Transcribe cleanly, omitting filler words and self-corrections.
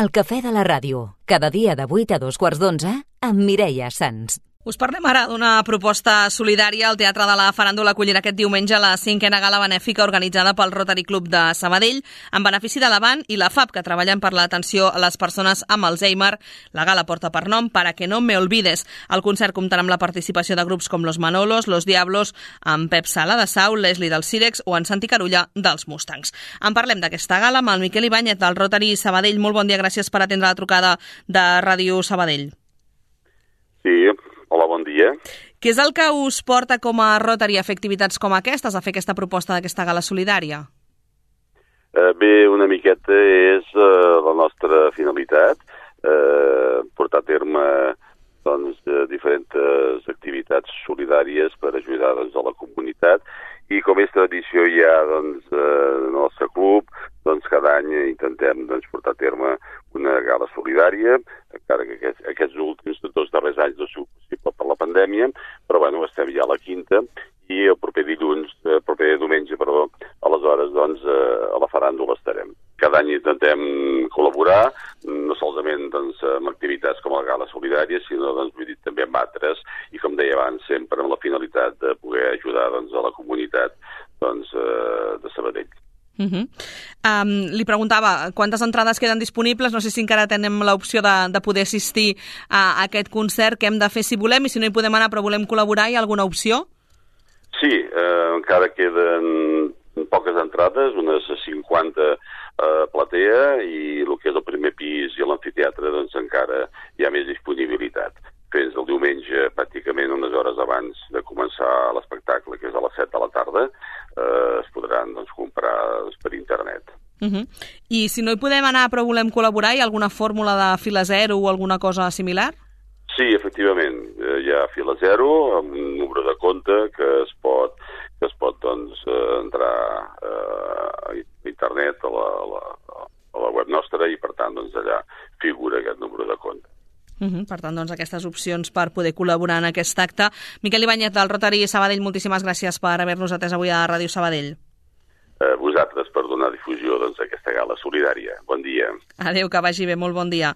El cafè de la ràdio, cada dia de 8 a 2:15 amb Mireia Sans. Us parlem ara d'una proposta solidària. El Teatre de la Faràndula acollirà aquest diumenge la 5a gala benèfica organitzada pel Rotary Club de Sabadell en benefici de l'Avant i la FAP, que treballen per l'atenció a les persones amb Alzheimer. La gala porta per nom Para que no me olvides. El concert comptarà amb la participació de grups com Los Manolos, Los Diablos, amb Pep Sala de Sau, Leslie del Cirex o en Santi Carulla dels Mustangs. En parlem d'aquesta gala amb el Miquel Ibáñez del Rotary Sabadell. Molt bon dia, gràcies per atendre la trucada de Ràdio Sabadell. Sí, hola, bon dia. Què és el que us porta com a Rotary a fer activitats com aquestes, a fer aquesta proposta d'aquesta gala solidària? Bé, una miqueta és la nostra finalitat, portar a terme diferents activitats solidàries per ajudar a la comunitat, i com és tradició ja en el nostre club, cada any intentem portar a terme una gala solidària, encara que aquests últims 2 darrers anys no ha sigut possible per la pandèmia, però estem ja a la 5ª, i el proper diumenge, aleshores a la Faràndula estarem. Cada any intentem col·laborar, no solament amb activitats com la gala solidària, sinó també amb altres, i com deia abans, sempre amb la finalitat de poder ajudar a la comunitat de Sabadell. Li preguntava quantes entrades queden disponibles, no sé si encara tenem l'opció de poder assistir a aquest concert, què hem de fer si volem, i si no hi podem anar però volem col·laborar, hi ha alguna opció? Sí, encara queden poques entrades, unes 50 platea, i el que és el primer pis i l'amfiteatre encara hi ha més disponibilitat. Fins el diumenge, pràcticament unes hores abans de començar l'espectacle, que és a les 7 de la tarda, es podran comprar per internet. I si no hi podem anar però volem col·laborar, hi ha alguna fórmula de fila zero o alguna cosa similar? Sí, efectivament, hi ha fila zero, amb un número de compte que es pot entrar a internet, a la web nostra, i per tant allà figura aquest número de compte. Per tant, aquestes opcions per poder col·laborar en aquest acte. Miquel Ibáñez del Rotary Sabadell, moltíssimes gràcies per haver-nos atès avui a Ràdio Sabadell. Vosaltres per donar difusió a aquesta gala solidària. Bon dia. Adéu, que vagi bé, molt bon dia.